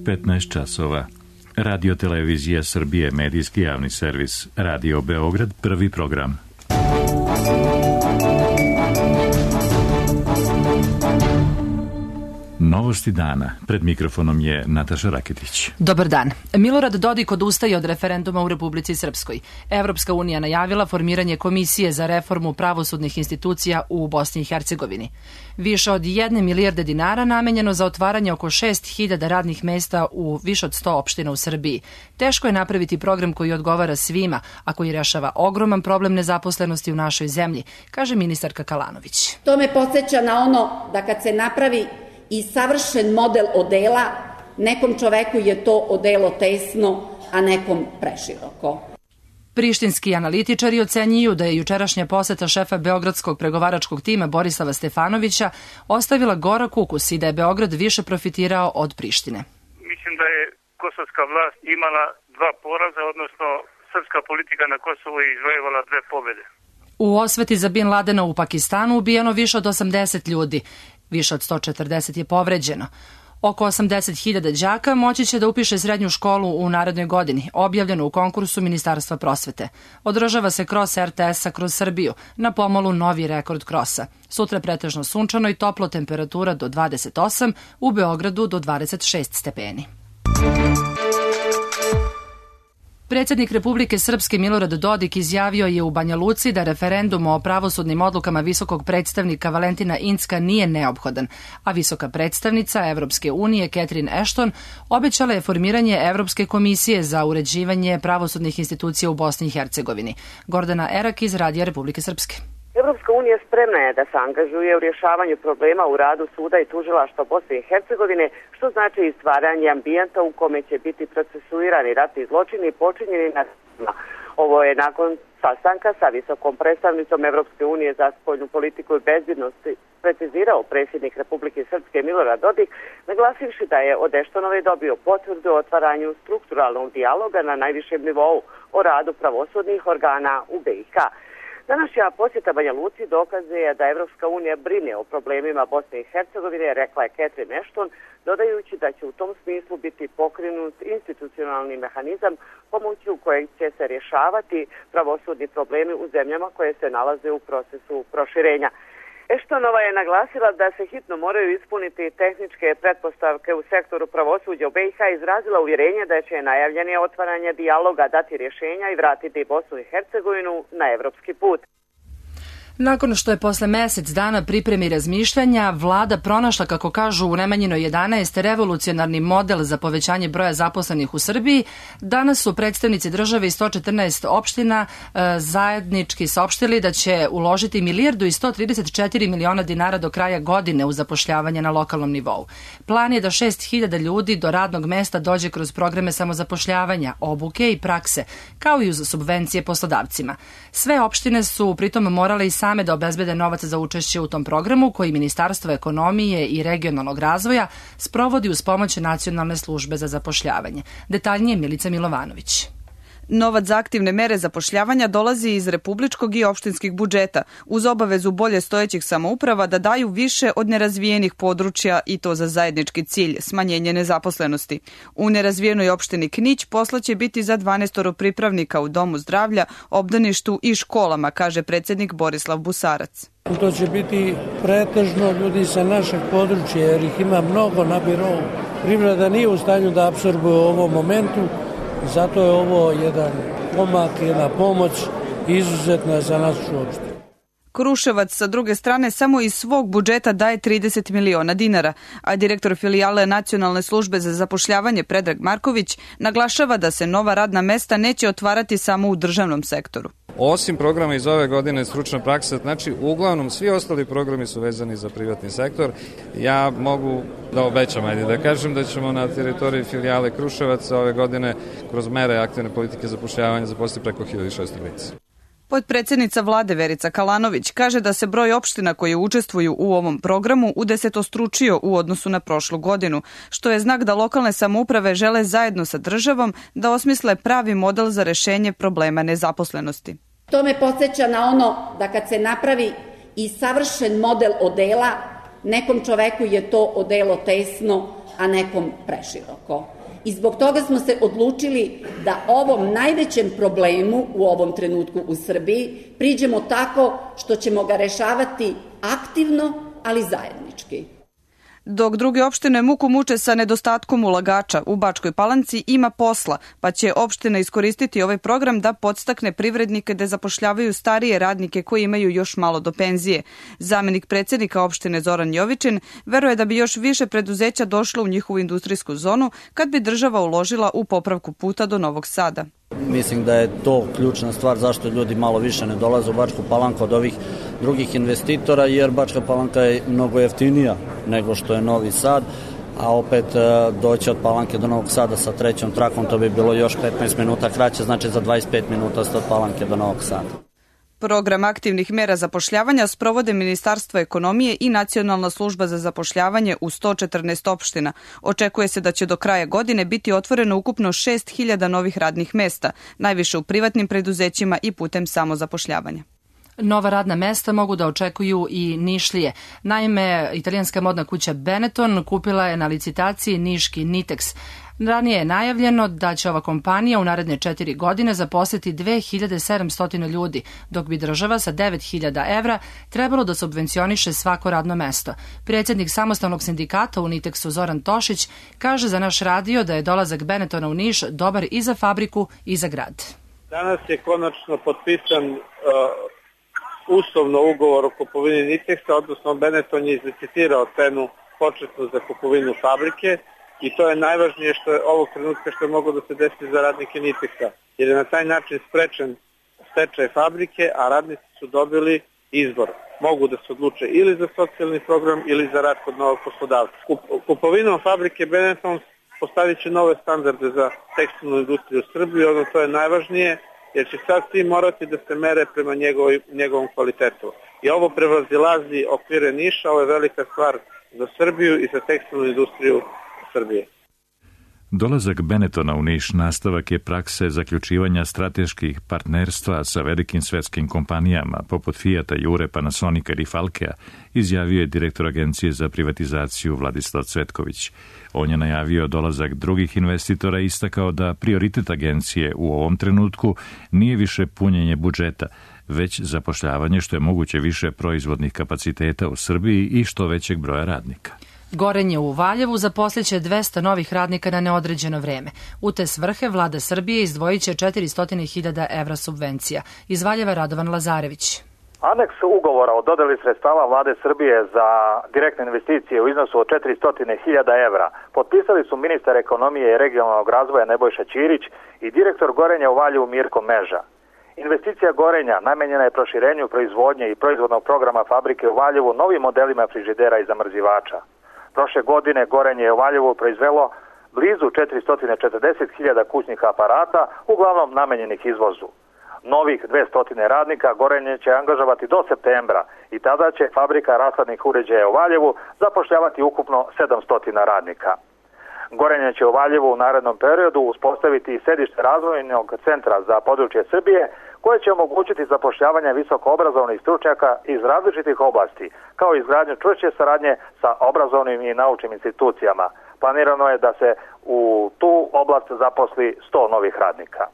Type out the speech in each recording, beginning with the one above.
15 časova. Radio Televizija Srbije, medijski javni servis. Radio Beograd, prvi program. Novosti dana. Pred mikrofonom je Nataša Raketić. Dobar dan. Milorad Dodik odustaje od referenduma u Republici Srpskoj. Evropska unija najavila formiranje komisije za reformu pravosudnih institucija u Bosni i Hercegovini. Više od 1 milijarde dinara namenjeno za otvaranje oko 6.000 radnih mesta u više od 100 opština u Srbiji. Teško je napraviti program koji odgovara svima, a koji rešava ogroman problem nezaposlenosti u našoj zemlji, kaže ministarka Kalanović. To me podsjeća na ono da kad se napravi i savršen model odela, nekom čoveku je to odelo tesno, a nekom preširoko. Prištinski analitičari ocenjuju da je jučerašnja poseta šefa beogradskog pregovaračkog tima Borislava Stefanovića ostavila gorak ukus i da je Beograd više profitirao od Prištine. Mislim da je kosovska vlast imala 2 poraza, odnosno srpska politika na Kosovu je izvojevala 2 pobede. U osveti za Bin Ladena u Pakistanu ubijeno više od 80 ljudi. Više od 140 je povređeno. Oko 80.000 đaka moći će da upiše srednju školu u narednoj godini, objavljeno u konkursu Ministarstva prosvete. Održava se kros RTS-a kroz Srbiju, na pomolu novi rekord krosa. Sutra pretežno sunčano i toplo, temperatura do 28, u Beogradu do 26 stepeni. Predsjednik Republike Srpske Milorad Dodik izjavio je u Banja Luci da referendum o pravosudnim odlukama visokog predstavnika Valentina Incka nije neophodan, a visoka predstavnica Evropske unije Catherine Ashton obećala je formiranje Evropske komisije za uređivanje pravosudnih institucija u Bosni i Hercegovini. Gordana Erak iz Radija Republike Srpske. Evropska unija spremna je da se angažuje u rješavanju problema u radu suda i tužilaštva Bosne i Hercegovine, što znači i stvaranje ambijenta u kome će biti procesuirani ratni zločini počinjeni na suda. Ovo je nakon sastanka sa visokom predstavnicom Evropske unije za spoljnu politiku i bezbednost precizirao predsjednik Republike Srpske Milorad Dodik, naglasivši da je od Eštonove dobio potvrdu o otvaranju strukturalnog dijaloga na najvišem nivou o radu pravosudnih organa u BiH. Današnja posjeta Banja Luci dokazuje da Evropska unija brine o problemima Bosne i Hercegovine, rekla je Catherine Ashton, dodajući da će u tom smislu biti pokrenut institucionalni mehanizam pomoću kojeg će se rješavati pravosudni problemi u zemljama koje se nalaze u procesu proširenja. Eštonova je naglasila da se hitno moraju ispuniti tehničke pretpostavke u sektoru pravosuđa u BiH, izrazila uvjerenje da će najavljene otvaranje dijaloga dati rješenja i vratiti Bosnu i Hercegovinu na evropski put. Nakon što je posle mjesec dana pripremi razmišljanja, vlada pronašla, kako kažu u Nemanjinoj 11, revolucionarni model za povećanje broja zaposlenih u Srbiji, danas su predstavnici države iz 114 opština zajednički saopštili da će uložiti 1.134 miliona dinara do kraja godine u zapošljavanje na lokalnom nivou. Plan je da 6.000 ljudi do radnog mesta dođe kroz programe samozapošljavanja, obuke i prakse, kao i uz subvencije poslodavcima. Sve opštine su pritom morale i same da obezbede novac za učešće u tom programu koji Ministarstvo ekonomije i regionalnog razvoja sprovodi uz pomoć Nacionalne službe za zapošljavanje. Detaljnije Milica Milovanović. Novac za aktivne mere zapošljavanja dolazi iz republičkog i opštinskih budžeta, uz obavezu bolje stojećih samouprava da daju više od nerazvijenih područja i to za zajednički cilj, smanjenje nezaposlenosti. U nerazvijenoj opštini Knić posla će biti za 12 pripravnika u domu zdravlja, obdaništu i školama, kaže predsjednik Borislav Busarac. To će biti pretežno ljudi sa našeg područja jer ih ima mnogo na birou. Privreda nije u stanju da apsorbuje u ovom momentu. Zato je ovo jedan pomak, jedna pomoć izuzetna za našu opštinu. Kruševac sa druge strane samo iz svog budžeta daje 30 miliona dinara, a direktor filijale Nacionalne službe za zapošljavanje Predrag Marković naglašava da se nova radna mesta neće otvarati samo u državnom sektoru. Osim programa iz ove godine stručna praksa, znači uglavnom svi ostali programi su vezani za privatni sektor. Ja mogu da obećam, da kažem da ćemo na teritoriji filijale Kruševac ove godine kroz mere aktivne politike zapošljavanja zaposliti preko 1600 lica. Potpredsjednica vlade Verica Kalanović kaže da se broj opština koje učestvuju u ovom programu udesetostručio u odnosu na prošlu godinu, što je znak da lokalne samouprave žele zajedno sa državom da osmisle pravi model za rešenje problema nezaposlenosti. To me podsjeća na ono da kad se napravi i savršen model odela, nekom čoveku je to odelo tesno, a nekom preširoko. I zbog toga smo se odlučili da ovom najvećem problemu u ovom trenutku u Srbiji priđemo tako što ćemo ga rešavati aktivno, ali zajednički. Dok druge opštine muku muče sa nedostatkom ulagača, u Bačkoj Palanci ima posla, pa će opština iskoristiti ovaj program da podstakne privrednike da zapošljavaju starije radnike koji imaju još malo do penzije. Zamenik predsednika opštine Zoran Jovičin veruje da bi još više preduzeća došlo u njihovu industrijsku zonu kad bi država uložila u popravku puta do Novog Sada. Mislim da je to ključna stvar zašto ljudi malo više ne dolaze u Bačku Palanku od ovih drugih investitora, jer Bačka Palanka je mnogo jeftinija nego što je Novi Sad, a opet doći od Palanke do Novog Sada sa trećom trakom, to bi bilo još 15 minuta kraće, znači za 25 minuta ste od Palanke do Novog Sada. Program aktivnih mera zapošljavanja sprovode Ministarstvo ekonomije i Nacionalna služba za zapošljavanje u 114 opština. Očekuje se da će do kraja godine biti otvoreno ukupno 6.000 novih radnih mesta, najviše u privatnim preduzećima i putem samozapošljavanja. Nova radna mesta mogu da očekuju i Nišlije. Naime, italijanska modna kuća Benetton kupila je na licitaciji niški Nitex. Ranije je najavljeno da će ova kompanija u naredne 4 godine zaposliti 2700 ljudi, dok bi država sa 9.000 evra trebalo da subvencioniše svako radno mesto. Predsjednik samostalnog sindikata u Nitexu Zoran Tošić kaže za naš radio da je dolazak Benettona u Niš dobar i za fabriku i za grad. Danas je konačno potpisan uslovno ugovor o kupovini Nitexa, odnosno Benetton je izlicitirao cenu početnu za kupovinu fabrike i to je najvažnije što je ovog trenutka što je moglo da se desi za radnike Nitexa, jer je na taj način sprečen stečaj fabrike, a radnici su dobili izbor. Mogu da se odluče ili za socijalni program ili za rad kod novog poslodavca. Kupovinom fabrike Benetton postavit će nove standarde za tekstilnu industriju u Srbiji, ono to je najvažnije, jer će sad svi morati da se mere prema njegovom kvalitetu. I ovo prevazilazi okvire Niša, ovo je velika stvar za Srbiju i za tekstilnu industriju Srbije. Dolazak Benettona u Niš nastavak je prakse zaključivanja strateških partnerstva sa velikim svetskim kompanijama poput Fijata, Jure, Panasonika i Falkea, izjavio je direktor Agencije za privatizaciju Vladislav Cvetković. On je najavio dolazak drugih investitora i istakao da prioritet agencije u ovom trenutku nije više punjenje budžeta, već zapošljavanje što je moguće više proizvodnih kapaciteta u Srbiji i što većeg broja radnika. Gorenje u Valjevu zaposliće 200 novih radnika na neodređeno vreme. U te svrhe vlada Srbije izdvojit će 400.000 evra subvencija. Iz Valjeva Radovan Lazarević. Aneks ugovora o dodeli sredstava vlade Srbije za direktne investicije u iznosu od 400.000 evra potpisali su ministar ekonomije i regionalnog razvoja Nebojša Ćirić i direktor Gorenja u Valjevu Mirko Meža. Investicija Gorenja namenjena je proširenju proizvodnje i proizvodnog programa fabrike u Valjevu novim modelima frižidera i zamrzivača. Prošle godine Gorenje je u Valjevu proizvelo blizu 440.000 kućnih aparata, uglavnom namenjenih izvozu. Novih 200 radnika Gorenje će angažovati do septembra i tada će fabrika rashladnih uređaja u Valjevu zapošljavati ukupno 700 radnika. Gorenje će u Valjevu u narednom periodu uspostaviti sedište razvojnog centra za područje Srbije koje će omogućiti zapošljavanje visokoobrazovnih stručnjaka iz različitih oblasti, kao i izgradnju čvršće saradnje sa obrazovnim i naučnim institucijama. Planirano je da se u tu oblast zaposli 100 novih radnika.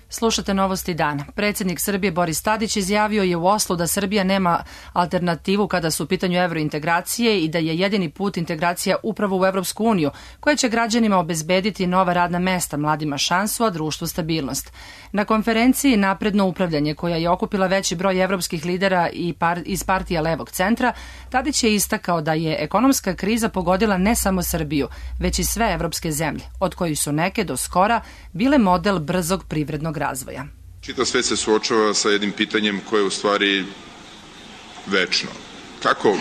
Slušate Novosti dana. Predsjednik Srbije Boris Tadić izjavio je u Oslu da Srbija nema alternativu kada su u pitanju evrointegracije i da je jedini put integracija upravo u Evropsku uniju, koja će građanima obezbediti nova radna mesta, mladima šansu, a društvu stabilnost. Na konferenciji Napredno upravljanje, koja je okupila veći broj evropskih lidera iz partija levog centra, Tadić je istakao da je ekonomska kriza pogodila ne samo Srbiju, već i sve evropske zemlje, od kojih su neke do skora bile model brzog privrednog razvoja. Čitav svet se suočava sa jednim pitanjem koje je u stvari večno. Kako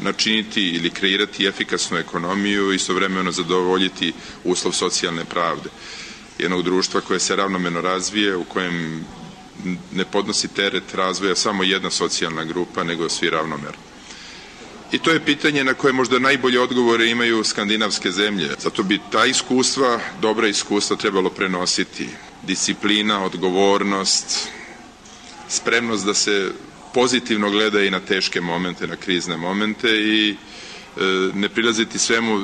načiniti ili kreirati efikasnu ekonomiju i istovremeno zadovoljiti uslov socijalne pravde jednog društva koje se ravnomerno razvije, u kojem ne podnosi teret razvoja samo jedna socijalna grupa, nego svi ravnomerno. I to je pitanje na koje možda najbolje odgovore imaju skandinavske zemlje. Zato bi ta iskustva, dobra iskustva trebalo prenositi. Disciplina, odgovornost, spremnost da se pozitivno gleda i na teške momente, na krizne momente i ne prilaziti svemu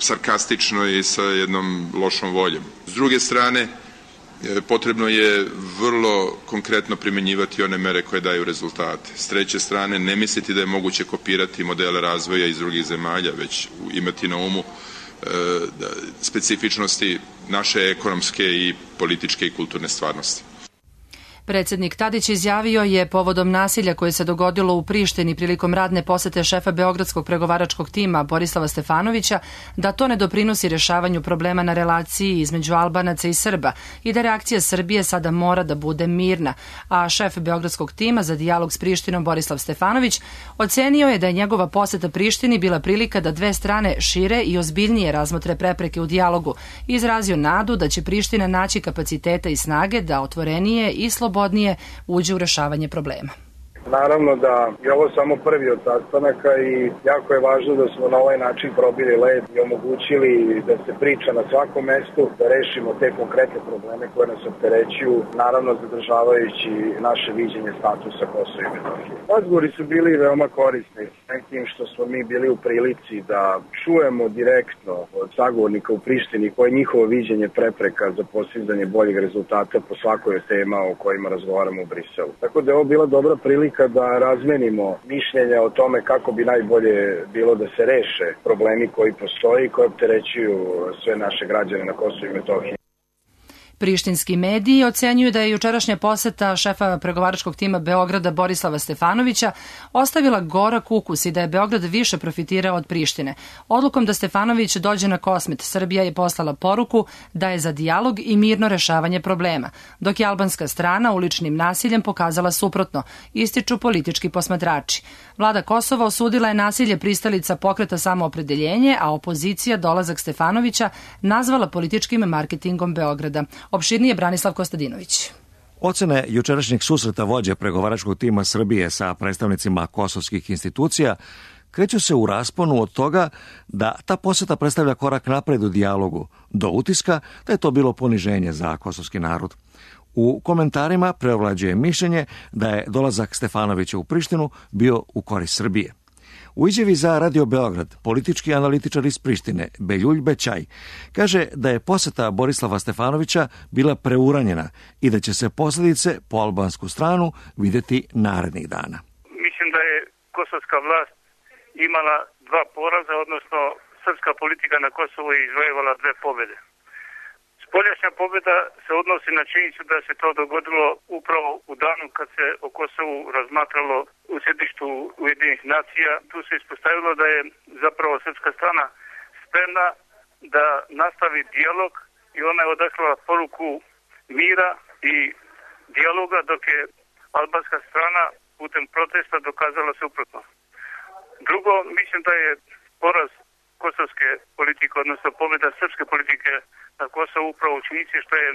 sarkastično i sa jednom lošom voljom. S druge strane, potrebno je vrlo konkretno primenjivati one mere koje daju rezultate. S treće strane, ne misliti da je moguće kopirati modele razvoja iz drugih zemalja, već imati na umu specifičnosti naše ekonomske i političke i kulturne stvarnosti. Predsjednik Tadić izjavio je povodom nasilja koje se dogodilo u Prištini prilikom radne posete šefa Beogradskog pregovaračkog tima Borislava Stefanovića da to ne doprinosi rješavanju problema na relaciji između Albanaca i Srba i da reakcija Srbije sada mora da bude mirna, a šef Beogradskog tima za dijalog s Prištinom Borislav Stefanović ocenio je da je njegova poseta Prištini bila prilika da dve strane šire i ozbiljnije razmotre prepreke u dijalogu i izrazio nadu da će Priština naći kapaciteta i snage da otvorenije i slobodnije uđe u rešavanje problema. Naravno da je ovo samo prvi od sastanaka i jako je važno da smo na ovaj način probili led i omogućili da se priča na svakom mestu, da rešimo te konkretne probleme koje nas opterećuju, naravno zadržavajući naše viđenje statusa Kosova i Metohije. Razgovori su bili veoma korisni, tim što smo mi bili u prilici da čujemo direktno od sagovornika u Prištini koje je njihovo viđenje prepreka za postizanje boljeg rezultata po svakoj od tema o kojima razgovaramo u Briselu. Tako da je ovo bila dobra prilika da razmenimo mišljenja o tome kako bi najbolje bilo da se reše problemi koji postoji i koji opterećuju sve naše građane na Kosovu i Metohiji. Prištinski mediji ocenjuju da je jučerašnja poseta šefa pregovaračkog tima Beograda Borislava Stefanovića ostavila gorak ukus i da je Beograd više profitirao od Prištine. Odlukom da Stefanović dođe na Kosmet, Srbija je poslala poruku da je za dijalog i mirno rešavanje problema, dok je albanska strana uličnim nasiljem pokazala suprotno, ističu politički posmatrači. Vlada Kosova osudila je nasilje pristalica pokreta Samoopredeljenje, a opozicija dolazak Stefanovića nazvala političkim marketingom Beograda. Opširnije Branislav Kostadinović. Ocene jučerašnjeg susreta vođe pregovaračkog tima Srbije sa predstavnicima kosovskih institucija kreću se u rasponu od toga da ta poseta predstavlja korak napred u dijalogu, do utiska da je to bilo poniženje za kosovski narod. U komentarima preovlađuje mišljenje da je dolazak Stefanovića u Prištinu bio u korist Srbije. U izjavi za Radio Beograd, politički analitičar iz Prištine, Beljulj Bećaj, kaže da je poseta Borislava Stefanovića bila preuranjena i da će se posljedice po albansku stranu vidjeti narednih dana. Mislim da je kosovska vlast imala dva poraza, odnosno srpska politika na Kosovu je izvojevala dve pobjede. Spoljašnja pobjeda se odnosi na činjenicu da se to dogodilo upravo u danu kad se o Kosovu razmatralo u sjedištu Ujedinjenih nacija. Tu se ispostavilo da je zapravo srpska strana spremna da nastavi dijalog i ona je odaslala poruku mira i dijaloga, dok je albanska strana putem protesta dokazala suprotno. Drugo, mislim da je poraz kosovske politike, odnosno pobjeda srpske politike na Kosovu upravo u činjenici što je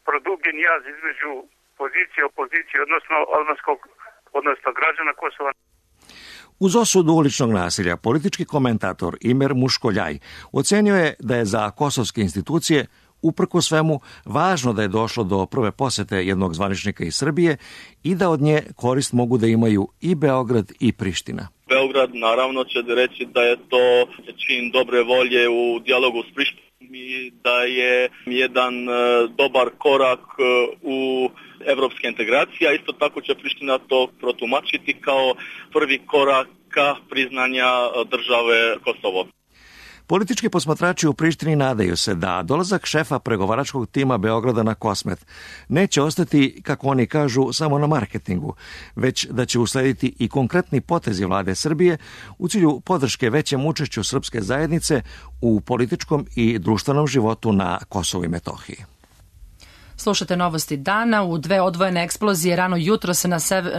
produbljen jaz između pozicije i opozicije, odnosno albanskog, odnosno građana Kosova. Uz osudu uličnog nasilja, politički komentator Imer Muškoljaj ocenio je da je za kosovske institucije uprko svemu važno da je došlo do prve posete jednog zvaničnika iz Srbije i da od nje korist mogu da imaju i Beograd i Priština. Beograd naravno će reći da je to čin dobre volje u dijalogu s Prištinom i da je jedan dobar korak u evropske integracije, a isto tako će Priština to protumačiti kao prvi korak ka priznanja države Kosovo. Politički posmatrači u Prištini nadaju se da dolazak šefa pregovaračkog tima Beograda na Kosmet neće ostati, kako oni kažu, samo na marketingu, već da će uslediti i konkretni potezi vlade Srbije u cilju podrške većem učešću srpske zajednice u političkom i društvenom životu na Kosovu i Metohiji. Slušate novosti dana. U dve odvojene eksplozije rano jutros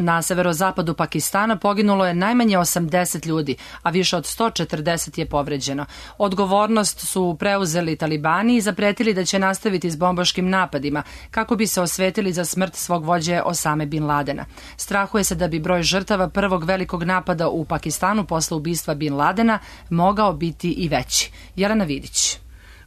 na severozapadu Pakistana poginulo je najmanje 80 ljudi, a više od 140 je povređeno. Odgovornost su preuzeli talibani i zapretili da će nastaviti s bombaškim napadima kako bi se osvetili za smrt svog vođe Osame Bin Ladena. Strahuje se da bi broj žrtava prvog velikog napada u Pakistanu posle ubistva Bin Ladena mogao biti i veći. Jelena Vidić.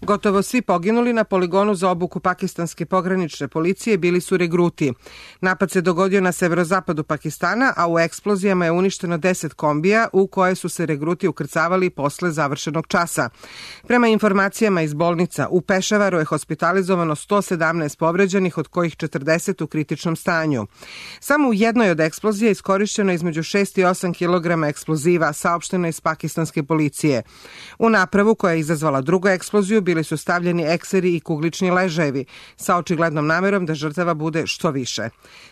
Gotovo svi poginuli na poligonu za obuku pakistanske pogranične policije bili su regruti. Napad se dogodio na severozapadu Pakistana, a u eksplozijama je uništeno 10 kombija u koje su se regruti ukrcavali posle završenog časa. Prema informacijama iz bolnica, u Pešavaru je hospitalizovano 117 povređenih, od kojih 40 u kritičnom stanju. Samo u jednoj od eksplozija iskorišćeno između 6 i 8 kg eksploziva, saopšteno iz pakistanske policije. U napravu koja je izazvala drugu eksploziju bili su stavljeni ekseri i kuglični ležajevi, sa očiglednom namerom da žrtava bude što više.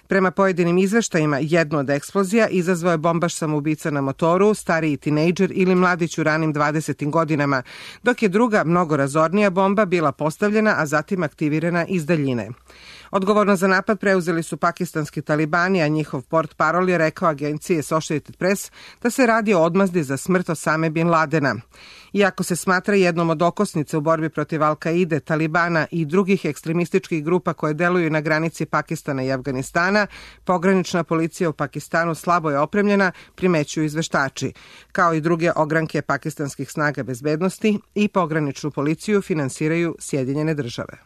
Prema pojedinim izveštajima, jednu od eksplozija izazvao je bombaš samoubica na motoru, stariji tinejdžer ili mladić u ranim 20. godinama, dok je druga, mnogo razornija bomba bila postavljena, a zatim aktivirana iz daljine. Odgovorno za napad preuzeli su pakistanski talibani, a njihov portparol je rekao agenciji Associated Press da se radi o odmazdi za smrt Osame bin Ladena. Iako se smatra jednom od okosnica u borbi protiv Al-Kaide, Talibana i drugih ekstremističkih grupa koje deluju na granici Pakistana i Afganistana, pogranična policija u Pakistanu slabo je opremljena, primećuju izveštači. Kao i druge ogranke pakistanskih snaga bezbednosti i pograničnu policiju finansiraju Sjedinjene države.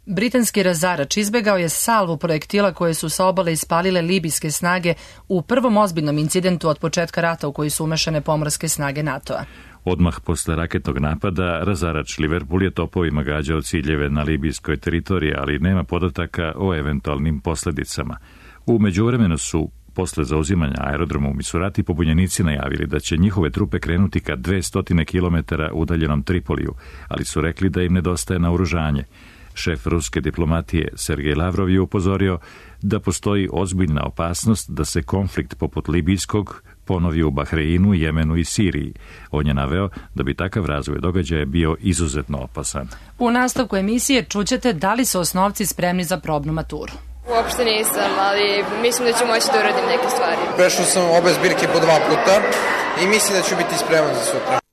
Britanski razarač izbegao je salvu projektila koje su sa obale ispalile libijske snage u prvom ozbiljnom incidentu od početka rata u koji su umešane pomorske snage NATO-a. Odmah posle raketnog napada, razarač Liverpool je topovima gađao ciljeve na libijskoj teritoriji, ali nema podataka o eventualnim posledicama. U međuvremenu su posle zauzimanja aerodroma u Misurati pobunjenici najavili da će njihove trupe krenuti ka 200 km udaljenom Tripoliju, ali su rekli da im nedostaje naoružanje. Šef ruske diplomatije Sergej Lavrov je upozorio da postoji ozbiljna opasnost da se konflikt poput libijskog ponovi u Bahreinu, Jemenu i Siriji. On je naveo da bi takav razvoj događaja bio izuzetno opasan. U nastavku emisije čućete da li su osnovci spremni za probnu maturu. Uopšte nisam, ali mislim da ću moći da uradim neke stvari. Prešao sam obe zbirke po 2 puta i mislim da ću biti spreman za sutra.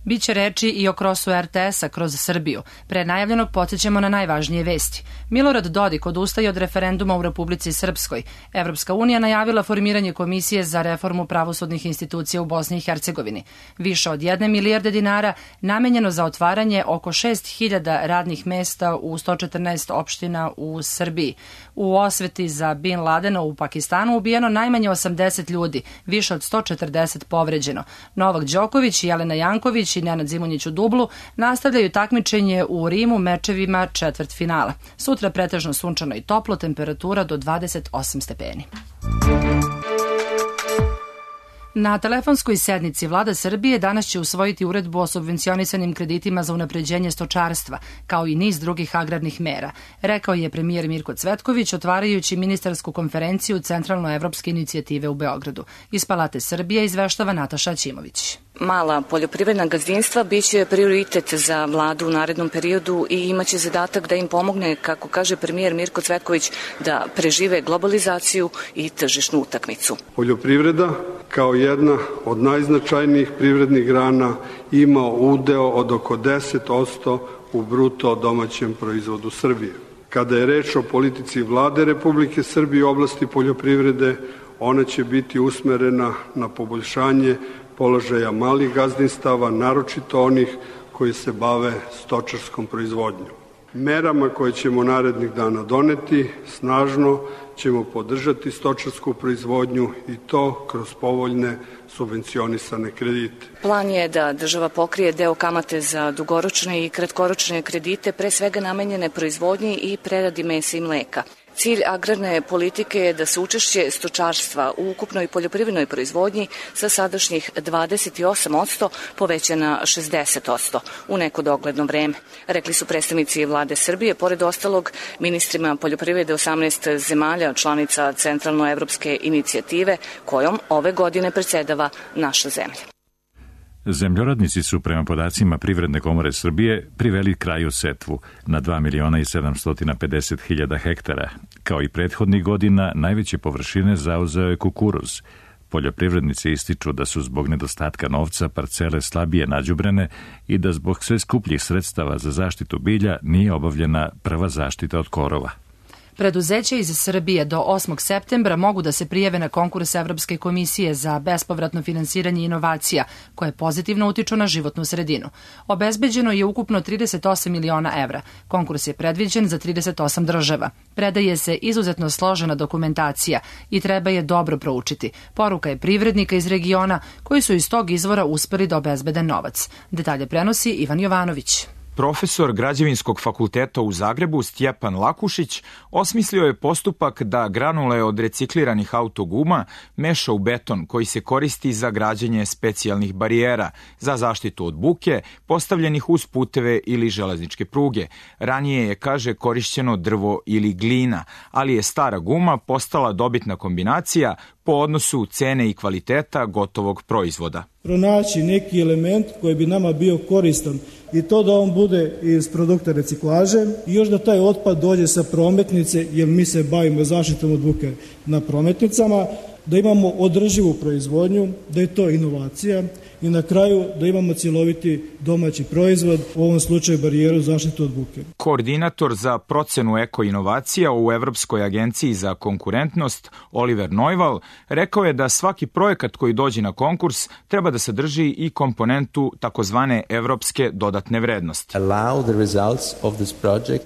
Biće reči i o krosu RTS-a kroz Srbiju. Pre najavljenog podsjećamo na najvažnije vesti. Milorad Dodik odustaje od referenduma u Republici Srpskoj. Evropska unija najavila formiranje komisije za reformu pravosudnih institucija u Bosni i Hercegovini. Više od 1 milijarde dinara namenjeno za otvaranje oko 6.000 radnih mesta u 114 opština u Srbiji. U osveti za Bin Ladena u Pakistanu ubijeno najmanje 80 ljudi, više od 140 povređeno. Novak Đoković, Jelena Janković i Nenad Zimonjić u dublu nastavljaju takmičenje u Rimu mečevima četvrtfinala. Sutra pretežno sunčano i toplo, temperatura do 28 stepeni. Na telefonskoj sednici Vlada Srbije danas će usvojiti uredbu o subvencionisanim kreditima za unapređenje stočarstva, kao i niz drugih agrarnih mera, rekao je premijer Mirko Cvetković otvarajući ministarsku konferenciju Centralnoevropske inicijative u Beogradu. Iz Palate Srbije izveštava Nataša Ćimović. Mala poljoprivredna gazdinstva biće prioritet za vladu u narednom periodu i imaće zadatak da im pomogne, kako kaže premijer Mirko Cvetković, da prežive globalizaciju i tržišnu utakmicu. Poljoprivreda kao jedna od najznačajnijih privrednih grana ima udeo od oko 10% u bruto domaćem proizvodu Srbije. Kada je reč o politici vlade Republike Srbije u oblasti poljoprivrede, ona će biti usmerena na poboljšanje položaja malih gazdinstava, naročito onih koji se bave stočarskom proizvodnjom. Merama koje ćemo narednih dana doneti, snažno ćemo podržati stočarsku proizvodnju i to kroz povoljne subvencionisane kredite. Plan je da država pokrije deo kamate za dugoročne i kratkoročne kredite, pre svega namenjene proizvodnji i preradi mesa i mleka. Cilj agrarne politike je da se učešće stočarstva u ukupnoj poljoprivrednoj proizvodnji sa sadašnjih 28% poveća na 60% u neko dogledno vreme, rekli su predstavnici Vlade Srbije, pored ostalog ministrima poljoprivrede 18 zemalja članica Centralnoevropske inicijative, kojom ove godine predsedava naša zemlja. Zemljoradnici su prema podacima Privredne komore Srbije priveli kraju setvu na 2.750.000 hektara. Kao i prethodnih godina, najveće površine zauzeo je kukuruz. Poljoprivrednici ističu da su zbog nedostatka novca parcele slabije nađubrene i da zbog sve skupljih sredstava za zaštitu bilja nije obavljena prva zaštita od korova. Preduzeća iz Srbije do 8. septembra mogu da se prijave na konkurs Evropske komisije za bespovratno finansiranje inovacija, koje pozitivno utiču na životnu sredinu. Obezbeđeno je ukupno 38 miliona evra. Konkurs je predviđen za 38 država. Predaje se izuzetno složena dokumentacija i treba je dobro proučiti. Poruka je privrednika iz regiona koji su iz tog izvora uspeli da obezbede novac. Detalje prenosi Ivan Jovanović. Profesor Građevinskog fakulteta u Zagrebu Stjepan Lakušić osmislio je postupak da granule od recikliranih autoguma meša u beton koji se koristi za građenje specijalnih barijera za zaštitu od buke postavljenih uz puteve ili železničke pruge. Ranije je, kaže, korišćeno drvo ili glina, ali je stara guma postala dobitna kombinacija po odnosu cene i kvaliteta gotovog proizvoda. Pronaći neki element koji bi nama bio koristan i to da on bude iz produkta reciklaže i još da taj otpad dođe sa prometnice, jer mi se bavimo zaštitom od buke na prometnicama, da imamo održivu proizvodnju, da je to inovacija i na kraju da imamo cjeloviti domaći proizvod, u ovom slučaju barijeru zaštitu od buke. Koordinator za procenu eko-inovacija u Evropskoj agenciji za konkurentnost Oliver Neuval rekao je da svaki projekat koji dođe na konkurs treba da sadrži i komponentu takozvane evropske dodatne vrednosti.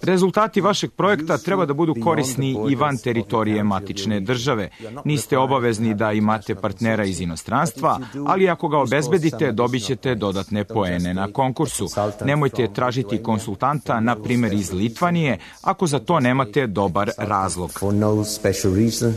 Rezultati vašeg projekta treba da budu korisni i van teritorije matične države. Niste obavezni da imate partnera iz inostranstva, ali ako ga obezbedite, dobit ćete dodatne poene na konkursu. Nemojte tražiti konsultanta, na primjer iz Litvanije, ako za to nemate dobar razlog.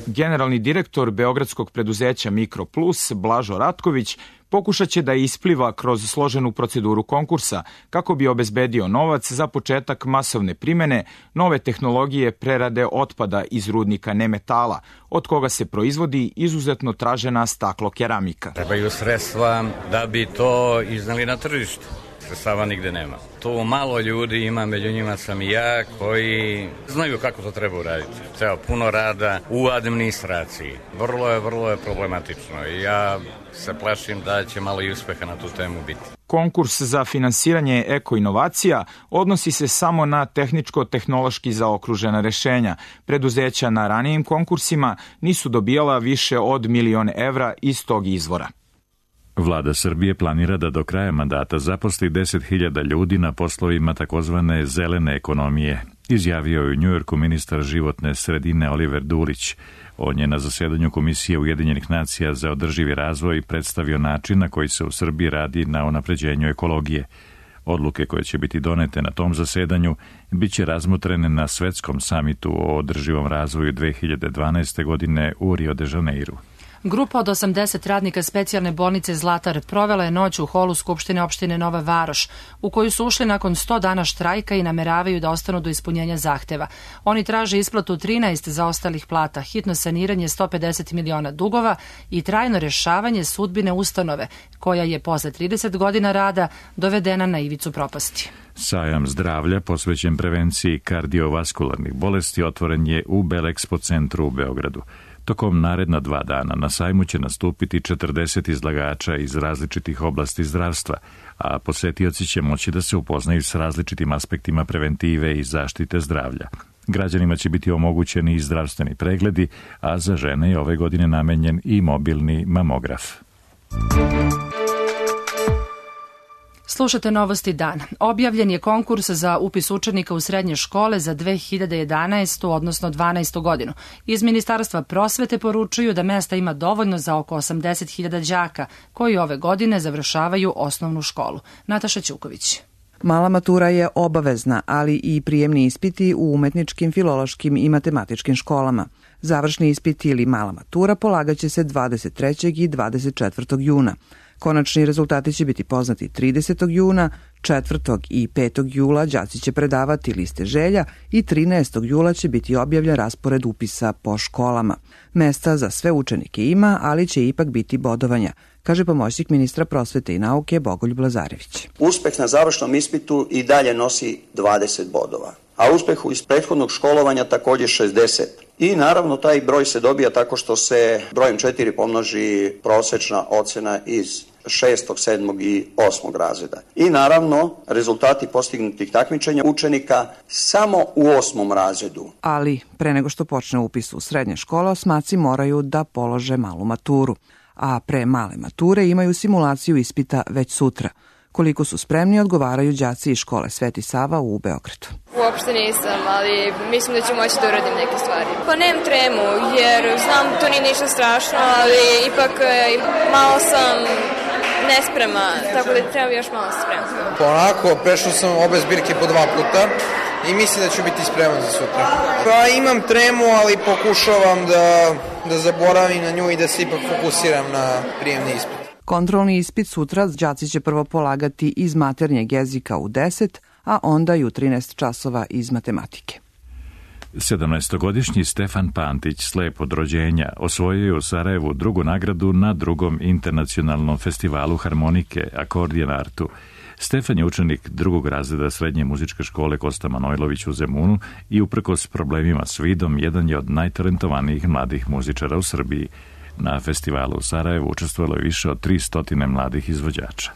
Generalni direktor beogradskog preduzeća Mikroplus, Blažo Ratković, pokušat će da ispliva kroz složenu proceduru konkursa kako bi obezbedio novac za početak masovne primene nove tehnologije prerade otpada iz rudnika nemetala, od koga se proizvodi izuzetno tražena staklo-keramika. Trebaju sredstva da bi to iznali na tržište. Sredstava nigde nema. Tu malo ljudi ima, među njima sam i ja, koji znaju kako to treba uraditi. Treba puno rada u administraciji. Vrlo je problematično i ja se plašim da će malo i uspeha na tu temu biti. Konkurs za finansiranje eko-inovacija odnosi se samo na tehničko-tehnološki zaokružena rešenja. Preduzeća na ranijim konkursima nisu dobijala više od 1 milion evra iz tog izvora. Vlada Srbije planira da do kraja mandata zaposli 10.000 ljudi na poslovima takozvane zelene ekonomije, izjavio je u Njujorku ministar životne sredine Oliver Dulić. On je na zasedanju Komisije Ujedinjenih nacija za održivi razvoj predstavio način na koji se u Srbiji radi na unapređenju ekologije. Odluke koje će biti donete na tom zasedanju biće razmotrene na svetskom samitu o održivom razvoju 2012. godine u Rio de Janeiru. Grupa od 80 radnika specijalne bolnice Zlatar provela je noć u holu Skupštine opštine Nova Varoš, u koju su ušli nakon 100 dana štrajka i nameravaju da ostanu do ispunjenja zahteva. Oni traže isplatu 13 zaostalih plata, hitno saniranje 150 miliona dugova i trajno rešavanje sudbine ustanove, koja je posle 30 godina rada dovedena na ivicu propasti. Sajam zdravlja posvećen prevenciji kardiovaskularnih bolesti otvoren je u Belexpo centru u Beogradu. Tokom naredna 2 dana na sajmu će nastupiti 40 izlagača iz različitih oblasti zdravstva, a posetioci će moći da se upoznaju s različitim aspektima preventive i zaštite zdravlja. Građanima će biti omogućeni i zdravstveni pregledi, a za žene je ove godine namenjen i mobilni mamograf. Slušate Novosti dan. Objavljen je konkurs za upis učenika u srednje škole za 2011. odnosno 12. godinu. Iz Ministarstva prosvete poručuju da mesta ima dovoljno za oko 80.000 đaka koji ove godine završavaju osnovnu školu. Nataša Ćuković. Mala matura je obavezna, ali i prijemni ispiti u umetničkim, filološkim i matematičkim školama. Završni ispiti ili mala matura polagaće se 23. i 24. juna. Konačni rezultati će biti poznati 30. juna, 4. i 5. jula đaci će predavati liste želja i 13. jula će biti objavljen raspored upisa po školama. Mesta za sve učenike ima, ali će ipak biti bodovanja, kaže pomoćnik ministra prosvete i nauke Bogoljub Lazarević. Uspeh na završnom ispitu i dalje nosi 20 bodova, a uspeh iz prethodnog školovanja također 60. I naravno taj broj se dobija tako što se brojem 4 pomnoži prosječna ocjena iz 6., 7. i 8. razreda. I naravno rezultati postignutih takmičenja učenika samo u 8. razredu. Ali pre nego što počne upis u srednje škole, osmaci moraju da polože malu maturu. A pre male mature imaju simulaciju ispita već sutra. Koliko su spremni, odgovaraju đaci iz škole Sveti Sava u Beogradu. Uopšte nisam, ali mislim da ću moći da uradim neke stvari. Pa nemam tremu, jer znam to nije ništa strašno, ali ipak malo sam nesprema, tako da treba još malo spremno. Onako, prešao sam obe zbirke po 2 puta i mislim da ću biti spreman za sutra. Pa imam tremu, ali pokušavam da zaboravim na nju i da se ipak fokusiram na prijemni ispit. Kontrolni ispit sutra đaci će prvo polagati iz maternjeg jezika u 10, a onda i u 13 časova iz matematike. 17-godišnji Stefan Pantić, slep od rođenja, osvojio je u Sarajevu drugu nagradu na drugom internacionalnom festivalu harmonike Akordijan Artu. Stefan je učenik drugog razreda srednje muzičke škole Kosta Manojlović u Zemunu i uprkos problemima s vidom jedan je od najtalentovanijih mladih muzičara u Srbiji. Na festivalu u Sarajevu učestvovalo je više od 300 mladih izvođača.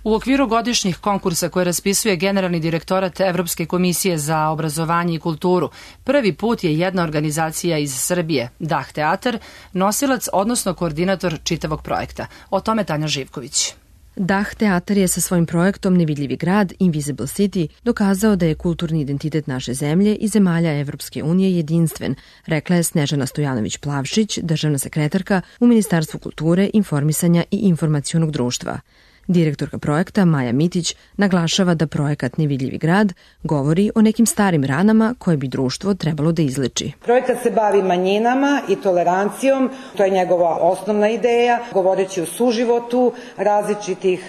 U okviru godišnjih konkursa koje raspisuje Generalni direktorat Evropske komisije za obrazovanje i kulturu, prvi put je jedna organizacija iz Srbije, Dah teatar, nosilac odnosno koordinator čitavog projekta. O tome Tanja Živković. Dah teatar je sa svojim projektom Nevidljivi grad, Invisible City, dokazao da je kulturni identitet naše zemlje i zemalja Evropske unije jedinstven, rekla je Snežana Stojanović-Plavšić, državna sekretarka u Ministarstvu kulture, informisanja i informacionog društva. Direktorka projekta Maja Mitić naglašava da projekat Nevidljivi grad govori o nekim starim ranama koje bi društvo trebalo da izleči. Projekat se bavi manjinama i tolerancijom, to je njegova osnovna ideja, govoreći o suživotu različitih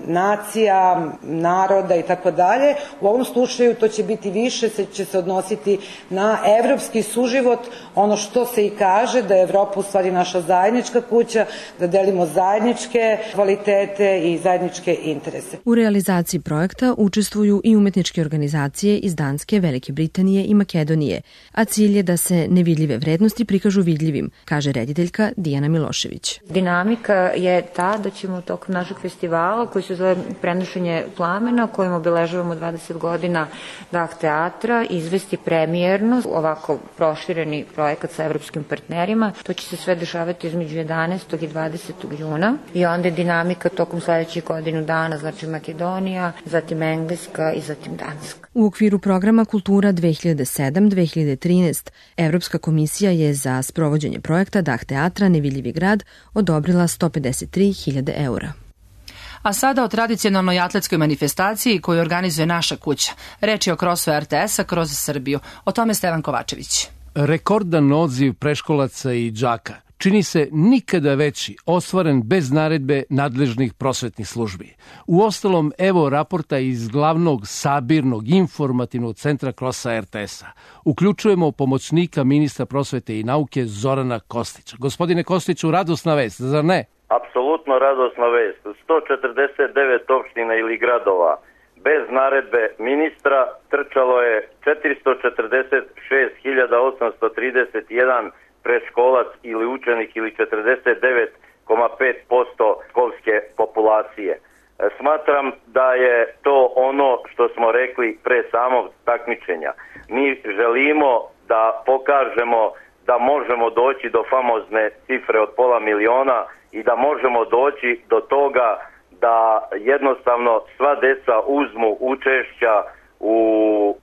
nacija, naroda i tako dalje. U ovom slučaju to će biti više, će se odnositi na evropski suživot, ono što se i kaže da je Evropa u stvari naša zajednička kuća, da delimo zajedničke kvalitete i zajedničke interese. U realizaciji projekta učestvuju i umetničke organizacije iz Danske, Velike Britanije i Makedonije, a cilj je da se nevidljive vrednosti prikažu vidljivim, kaže rediteljka Dijana Milošević. Dinamika je ta da ćemo tokom našeg festivala, koji se zove Prenošenje plamena, kojim obeležavamo 20 godina Dah teatra, izvesti premijerno, ovako prošireni projekat sa evropskim partnerima. To će se sve dešavati između 11. i 20. juna i onda je dinamika tokom sledećih godinu dana, znači Makedonija, zatim Engleska i zatim Danska. U okviru programa Kultura 2007-2013 Evropska komisija je za sprovođenje projekta Dah teatra Nevidljivi grad odobrila 153.000 eura. A sada o tradicionalnoj atletskoj manifestaciji koju organizuje naša kuća. Reč je o krosu RTS-a kroz Srbiju. O tome Stevan Kovačević. Rekordan odziv preškolaca i đaka čini se nikada veći, ostvaren bez naredbe nadležnih prosvetnih službi. Uostalom, evo raporta iz glavnog sabirnog informativnog centra Krosa RTS-a. Uključujemo pomoćnika ministra prosvete i nauke Zorana Kostića. Gospodine Kostiću, radosna vest, zar ne? Apsolutno radosna vest. 149 opština ili gradova bez naredbe ministra trčalo je 446.831 preškolac ili učenik ili 49,5% školske populacije. Smatram da je to ono što smo rekli pre samog takmičenja. Mi želimo da pokažemo da možemo doći do famozne cifre od 500.000 i da možemo doći do toga da jednostavno sva deca uzmu učešća u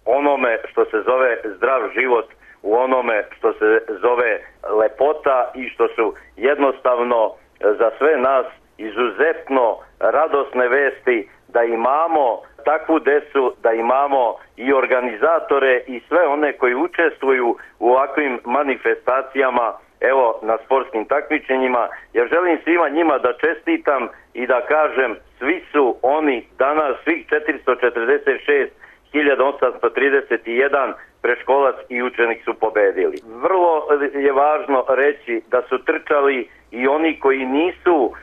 onome što se zove zdrav život, u onome što se zove lepota i što su jednostavno za sve nas izuzetno radosne vesti da imamo takvu decu, da imamo i organizatore i sve one koji učestvuju u ovakvim manifestacijama, evo na sportskim takmičenjima. Ja želim svima njima da čestitam i da kažem, svi su oni danas, svih 446 1831 preškolac i učenik su pobedili. Vrlo je važno reći da su trčali i oni koji nisu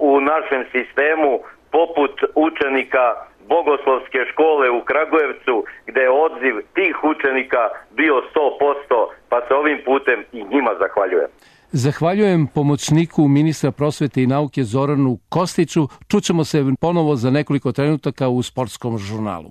u našem sistemu, poput učenika Bogoslovske škole u Kragujevcu, gde je odziv tih učenika bio 100%, pa se ovim putem i njima zahvaljujem. Zahvaljujem pomoćniku ministra prosvete i nauke Zoranu Kostiću. Čućemo se ponovo za nekoliko trenutaka u sportskom žurnalu.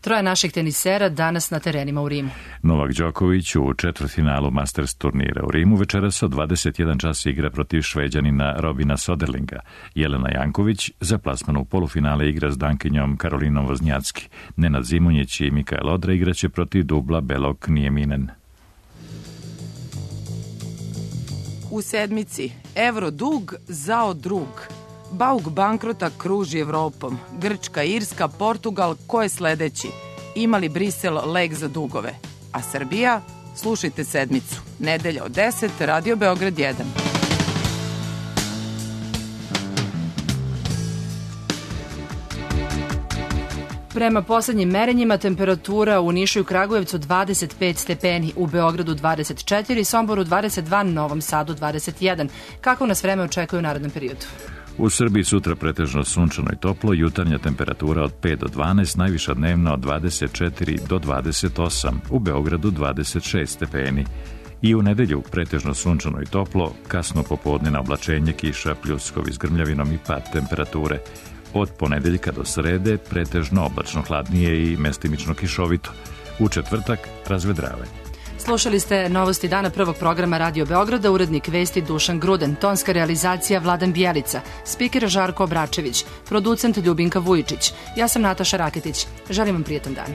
Troje naših tenisera danas na terenima u Rimu. Novak Đoković u četvrtfinalu Masters turnira u Rimu večeras od 21 čas igra protiv Šveđanina Robina Soderlinga. Jelena Janković za plasman u polufinale igra s dankinjom Karolinom Voznjacki. Nenad Zimonjić i Mikael Odra igraće protiv dubla Belok Nijeminen. U sedmici evro dug zao drug. Bauk bankrota kruži Evropom. Grčka, Irska, Portugal, ko je sledeći? Ima li Brisel lek za dugove? A Srbija? Slušajte sedmicu. Nedelja od 10, Radio Beograd 1. Prema poslednjim merenjima temperatura u Nišu i Kragujevcu 25 stepeni, u Beogradu 24, Somboru 22, Novom Sadu 21. Kako nas vreme očekuje u narednom periodu? U Srbiji sutra pretežno sunčano i toplo, jutarnja temperatura od 5 do 12, najviša dnevna od 24 do 28, u Beogradu 26 stepeni. I u nedelju pretežno sunčano i toplo, kasno popodne oblačenje, kiša, pljuskovi s grmljavinom i pad temperature. Od ponedeljka do srede pretežno oblačno hladnije i mestimično kišovito. U četvrtak razvedravanje. Slušali ste novosti dana prvog programa Radio Beograda, urednik vesti Dušan Gruden, tonska realizacija Vladan Bijelica, spiker Žarko Obračević, producent Ljubinka Vujičić. Ja sam Nataša Raketić. Želim vam prijetan dan.